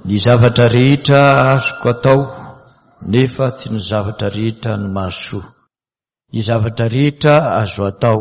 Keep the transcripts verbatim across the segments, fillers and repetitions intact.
Ny zavatra rehetra azoko atao, nefa tsy ny zavatra rehetra no mahasoa. Ny zavatra rehetra azo atao,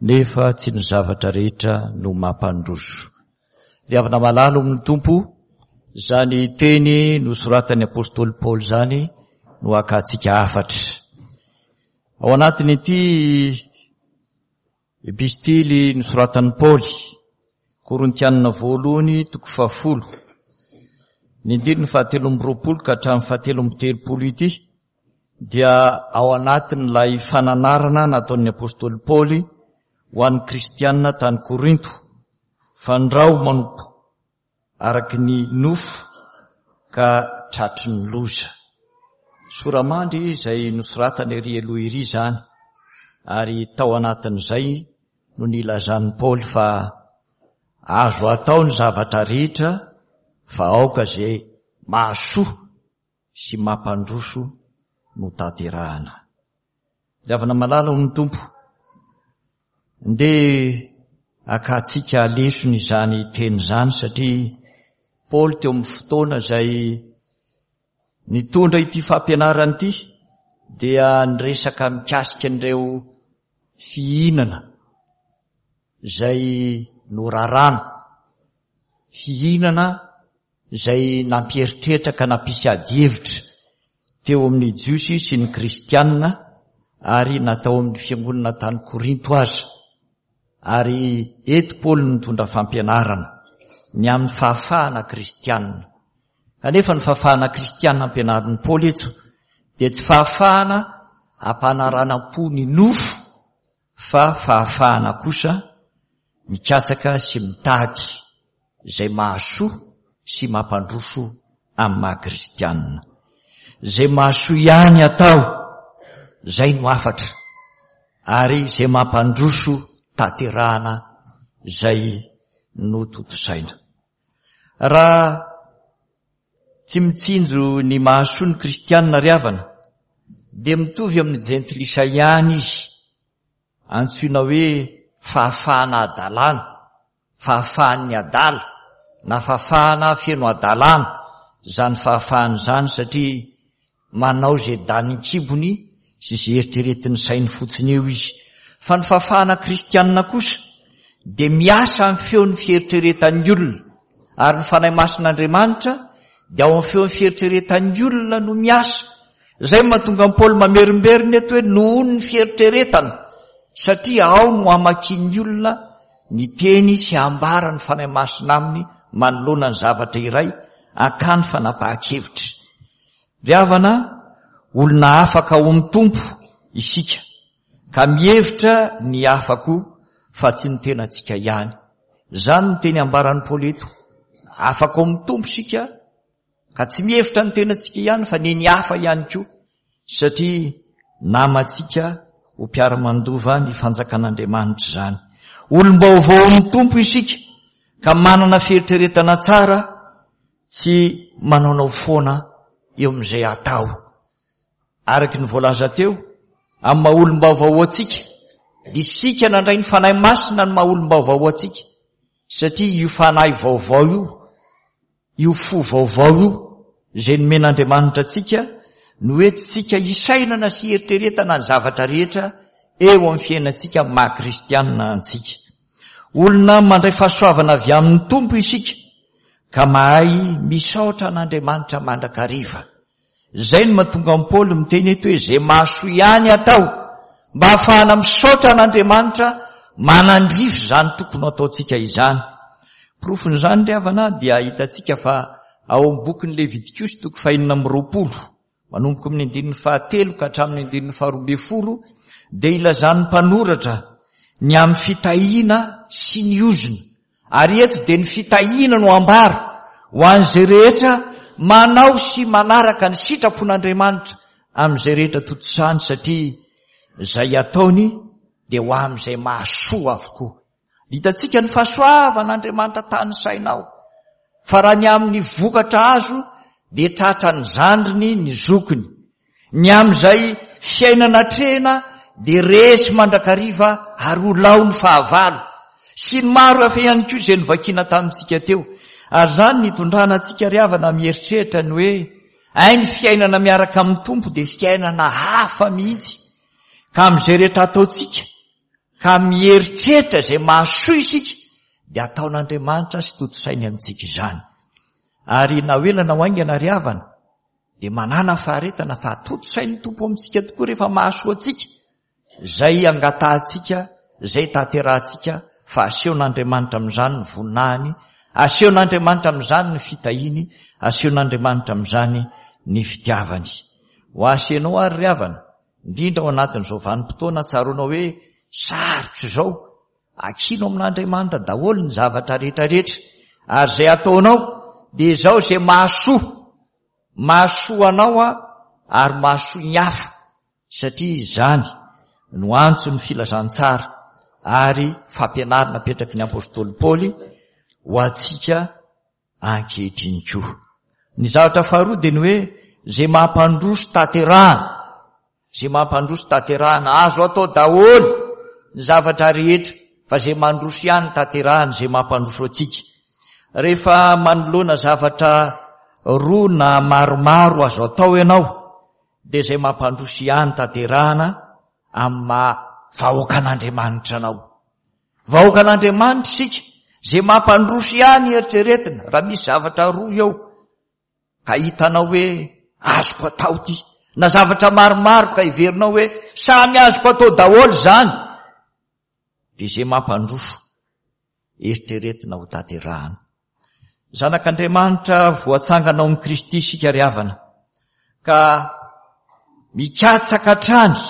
nefa tsy ny zavatra rehetra no mampandroso. Ry havana malala amin'ny Tompo, izany teny nosoratan'ny apostoly Paoly izany no hakantsika hafatra. Ao anatin'ity epistily nosoratan'i Paoly, Korintianina voalohany toko fahafolo, ny andininy fahatelo amby roapolo ka hatramin'ny fahatelo amby telopolo ity, dia ao anatin'ilay fananarana nataon'ny apostoly Paoly ho an'ny kristianina tany Korinto, fandrao manompo araky ny nofo ka tratry ny loza. Soramandry izay nosoratana ery aloha ery izany, ary tao anatin'izay no nilazan'i Paoly fa azo atao ny zavatra rehetra fa aoka izay mahasoa sy mampandroso no tanterahana. Ry havana malala ao amin'ny Tompo, ndeha hakantsika lesona izany teny izany, satria Paoly teo amin'ny fotoana izay nitondra ity fampianarana ity dia niresaka mikasika an'ireo fihinana izay norarana, fihinana izay nampieritreritra ka nampisy adihevitra teo amin'ny Jiosy sy ny Kristianina ary natao amin'ny fiangonana tany Korinto aza. Ary eto Paoly nitondra fampianarana ny amin'ny fahafahana kristianina. Kanefa ny fahafahana kristianina ampianarin'i Paoly eto dia tsy fahafahana ampanaranam-po ny nofo, fa fahafahana kosa mikatsaka sy mitady izay mahasoa sy mampandroso amin'ny maha kristianina. Izay mahasoa ihany atao, izay no hafatra, ary izay mampandroso tanterahana izay no tontosaina. Raha tsy mitsinjo ny mahasoa ny kristianina ry havana, dia mitovy amin'ny jentilisa ihany izy, antsoina hoe fahafahana adalàna, fahafahan'ny adala, na fahafahana feno adalàna izany fahafahana izany, satria manao izay danin-kibony sy izay eritreretin'ny sainy fotsiny eo izy. Fa ny fahafahana kristianina kosa dia miasa amin'ny feon'ny fieritreretan'ny olona, ary ny Fanahy Masin'Andriamanitra dia ao amin'ny feon'ny fieritreretan'ny olona no miasa. Izay no mahatonga an'i Paoly mamerimberina eto hoe nohon'ny fieritreretana, satria ao no hamakian'ny olona ny teny sy hambara ny Fanahy Masina aminy manoloana ny zavatra iray hakany fanapahan-kevitra. Ry havana, olona afaka ao amin'ny Tompo isika, ka mihevitra ny hafa koa fa tsy ny tenantsika ihany. Izany no teny ambaran'i Paoly eto. Afaka ao amin'ny Tompo isika, ka tsy mihevitra ny tenantsika ihany fa ny ny hafa ihany koa, satria namantsika ho mpiara-mandova ny fanjakan'Andriamanitra izany. Olom-baovao amin'ny Tompo isika, ka manana fieritreretana tsara, tsy manaonao foana eo amin'izay atao. Araky ny voalaza teo, amin'ny maha olom-baovao antsika, dia isika nandray ny Fanahy Masina ny maha olom-baovao antsika, satria io Fanahy vaovao io, io fo vaovao io, izay nomen'Andriamanitra antsika, no entintsika hisainana sy hieritreretana ny zavatra rehetra eo amin'ny fiainantsika maha kristianina antsika. Olona mandray fahasoavana avy amin'ny Tompo isika, ka mahay misaotra an'Andriamanitra mandrakariva. Izay no mahatonga an'i Paoly miteny eto hoe izay mahasoa ihany atao mba hahafahana misaotra an'Andriamanitra manandrify izany tokony ataontsika izany. Porofon'izany ry havana dia hitantsika fa ao amin'ny bokin'ny Levitikosy toko fahenina amby roapolo, manomboka amin'ny andininy fahatelo ka hatramin'ny andininy faharoa ambin'ny folo, dia ilazan'ny mpanoratra ny amin'ny fitahiana sy ny ozona. Ary eto dia ny fitahiana no ambara ho an'izay rehetra manao sy manaraka ny sitrapon'Andriamanitra amin'izay rehetra tontosany, satria izay ataony dia ho amin'izay mahasoa avokoa. Hitantsika ny fahasoavan'Andriamanitra tany sainao, fa raha ny amin'ny vokatra azo dia tratra ny zandriny ny zokiny. Ny amin'izay fiainana atrehina dia resy mandrakariva ary ho lao ny fahavalo. Sy ny maro hafa ihany koa izay novakiana tamintsika teo. Ary izany nitondrana antsika ry havana mieritreritra ny hoe ay ny fiainana miaraka amin'ny Tompo dia fiainana hafa mihitsy. Ka amin'izay rehetra ataontsika, ka mieritreritra izay mahasoa isika, dia ataon'Andriamanitra sy tontosainy amintsika izany. Ary na ho ela na ho haingana ry havana, dia manana faharetana fa tontosain'ny Tompo amintsika tokoa rehefa mahasoa antsika, izay angatahantsika, izay tanterahantsika, fa asehon'Andriamanitra amin'izany ny voninahiny, asehon'Andriamanitra amin'izany ny fitahiany, asehon'Andriamanitra amin'izany ny fitiavany. Ho asenao ary ry havana, indrindra ao anatin'izao vanim-potoana tsaroanao hoe sarotra izao, akino amin'Andriamanitra daholo ny zavatra rehetrarehetra, ary izay ataonao dia izao izay mahasoa, mahasoa anao a, ary mahasoa ny hafa, satria izany no antson'ny filazantsara ary fampianarana apetraky ny apostoly Paoly ho antsika ankehitriny koa. Ny zavatra faharoa dia ny hoe izay mampandroso tanterahana, izay mampandroso tanterahana, azo atao daholo ny zavatra rehetra, fa izay mandroso ihany tanterahana, izay mampandroso antsika. Rehefa manoloana zavatra roa na maromaro azo atao ianao, dia izay mampandroso ihany tanterahana amin'ny maha vahoakan'Andriamanitra anao. Vahoakan'Andriamanitra isika, izay mampandroso ihany eritreretina. Raha misy zavatra roa eo ka hitanao hoe azoko atao ity, na zavatra maromaro ka heverinao hoe samy azoko atao daholo izany, dia izay mampandroso eritreretina ho tanterahana. Zanak'Andriamanitra voatsangana ao amin'i Kristy isika ry havana, ka mikatsaka hatrany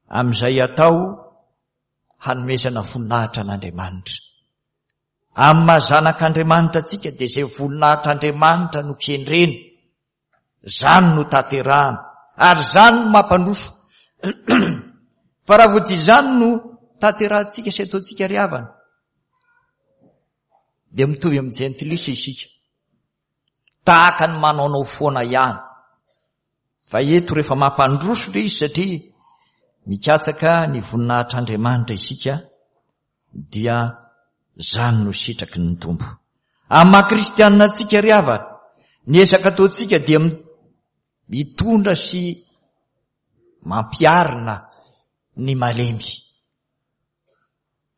amin'izay atao hanomezana voninahitra an'Andriamanitra. Amin'ny maha zanak'Andriamanitra antsika dia izay voninahitr'Andriamanitra no kendrena, izany no tanterahana, ary izany no mampandroso. Fa raha vao tsy izany no tanterahantsika sy ataontsika ry havana, dia mitovy amin'ny jentilisa isika, tahaka ny manaonao foana ihany. Fa eto rehefa mampandroso ilay izy satria mikatsaka ny voninahitr'Andriamanitra isika, dia izany no sitraky ny Tompo. Amin'ny maha kristianina antsika ry havana, ny ezaka ataontsika dia mitondra sy mampiarina ny malemy.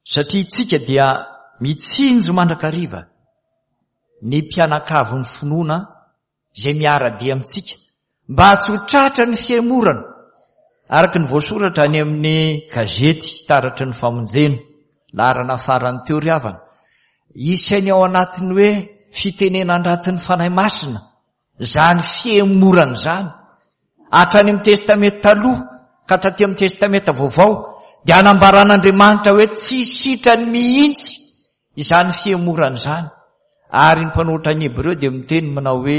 Satria isika dia mitsinjo mandrakariva ny mpianakavin'ny finoana izay miara-dia amintsika, mba tsy ho tratra ny fihemorana, araka ny voasoratra any amin'ny gazety Taratry ny Famonjena, laharana farany teo ry havana. Isainy ao anatin'ny hoe fitenenan-dratsy ny Fanahy Masina izany fihemorana izany. Hatrany amin'ny Testamenta taloha ka hatraty amin'ny Testamenta vaovao dia anambaran'Andriamanitra hoe tsy sitrany mihitsy izany fihemorana izany. Ary ny mpanoratra ny Hebreo dia miteny manao hoe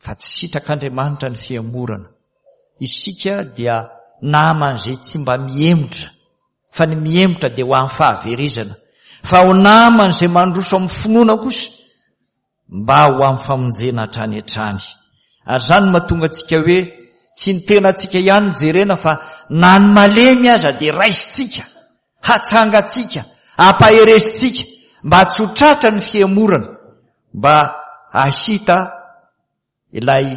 fa tsy sitrak'Andriamanitra ny fihemorana. Isika dia naman'izay tsy mba mihemotra, fa ny mihemotra dia ho amin'ny fahaverezana, fa ho naman'izay mandroso amin'ny finoana kosa mba ho amin'ny famonjena hatrany hatrany. Ary izany no mahatonga antsika hoe tsy ny tenantsika ihany no jerena, fa na ny malemy aza dia raisintsika, hatsangantsika, ampaheresintsika mba tsy ho tratra ny fihemorana, mba hahita ilay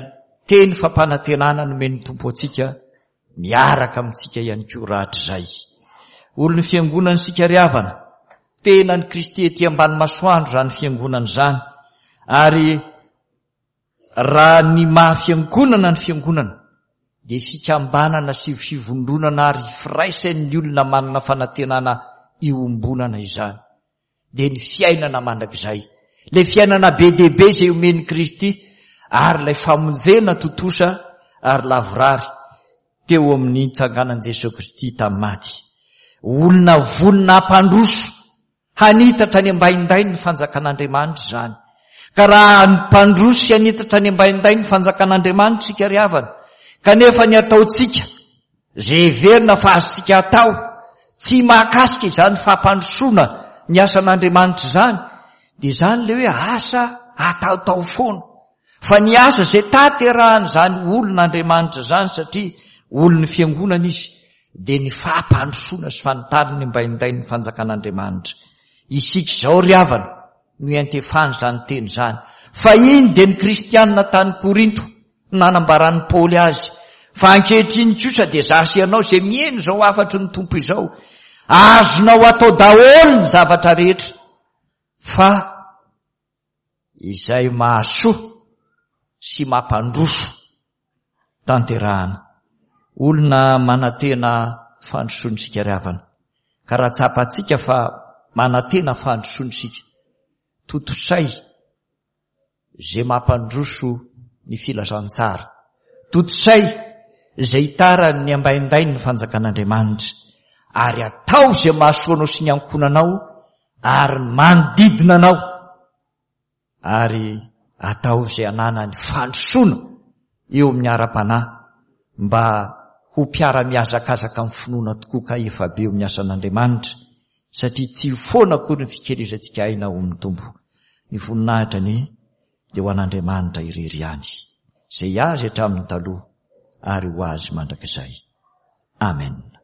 teny fampanantenana nomen'ny Tompo antsika miaraka amintsika ihany koa rahatrizay. Olon'ny fiangonana isika ry havana, tenan'i Kristy ety ambany masoandro izany fiangonana izany. Ary raha ny maha fiangonana ny fiangonana dia fikambanana sy fivondronana ary firaisan'ny olona manana fanantenana iombonana izany, dia ny fiainana mandrakizay, ilay fiainana be dia be izay omen'i Kristy, ary ilay famonjena tontosa ary lavorary teo amin'ny nitsanganan'i Jesoa Kristy tamin'ny maty. Olona vonona hampandroso, hanitatra ny ambaindainy ny fanjakan'Andriamanitra izany. Ka raha hampandroso sy hanitatra ny ambaindainy ny fanjakan'Andriamanitra isika ry havana, kanefa ny ataontsika izay heverina fa azontsika atao tsy mahakasika izany fampandrosoana ny asan'Andriamanitra izany, dia izany ilay hoe asa ataotao foana. Fa ny asa izay tanterahan'izany olon'Andriamanitra izany, satria olon'ny fiangonana izy, dia ny fampandrosoana sy fanitariny ny ambaindain'ny fanjakan'Andriamanitra. Isika izao ry havana no iantefan'izany teny izany. Fahiny dia ny kristianina tany Korinto no nanambaran'i Paoly azy, fa ankehitriny kosa dia izaho sy ianao izay miheno izao hafatry ny Tompo izao. Azonao atao daholo ny zavatra rehetra, fa izay mahasoa sy mampandroso tanterahana. Olona manantena fandrosoana isika ry havana, ka raha tsapantsika fa manantena fandrosoana isika, tontosay izay mampandroso ny filazantsara, tontosay izay itaran'ny ambaindain'ny fanjakan'Andriamanitra, ary atao izay mahasoa anao sy ny ankohonanao ary ny manodidina anao, ary atao izay ananany fandrosoana eo amin'ny ara-panahy mba ho mpiara-mihazakazaka amin'ny finoana tokoa ka efa be eo amin'ny asan'Andriamanitra, satria tsy ho foana akory ny fikelezantsika aina ao amin'ny Tompo. Ny voninahitra anie dia ho an'Andriamanitra irery ihany, izay azy hatramin'ny taloha ary ho azy mandrakizay. Amen.